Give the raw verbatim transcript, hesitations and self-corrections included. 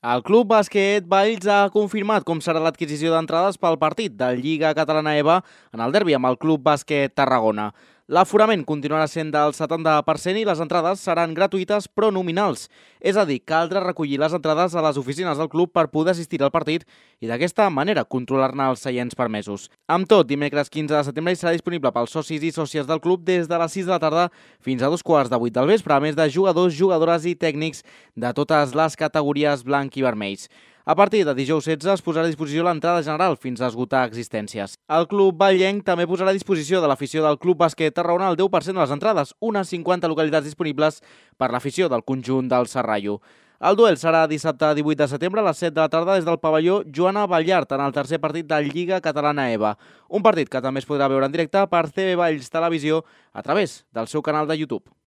El Club Bàsquet Valls ha confirmat com serà l'adquisició d'entrades pel partit de Lliga Catalana EVA en el derbi amb el Club Bàsquet Tarragona. L'aforament continuarà sent del setanta per cent i les entrades seran gratuïtes però nominals. És a dir, caldrà recollir les entrades a les oficines del club per poder assistir al partit i d'aquesta manera controlar-ne els seients permesos. Amb tot, dimecres quinze de setembre serà disponible pels socis i sòcies del club des de les sis de la tarda fins a dos quarts de vuit del vespre, a més de jugadors, jugadores i tècnics de totes les categories blanc i vermells. A partir de dijous setze es posarà a disposició l'entrada general fins a esgotar existències. El club vallenc també posarà a disposició de l'afició del Club Bàsquet Tarragona el deu per cent de les entrades, unes cinquanta localitats disponibles per l'afició del conjunt del Serrallo. El duel serà dissabte divuit de setembre a les set de la tarda des del pavelló Joana Ballart en el tercer partit de Lliga Catalana EVA. Un partit que també es podrà veure en directe per C B Valls Televisió a través del seu canal de YouTube.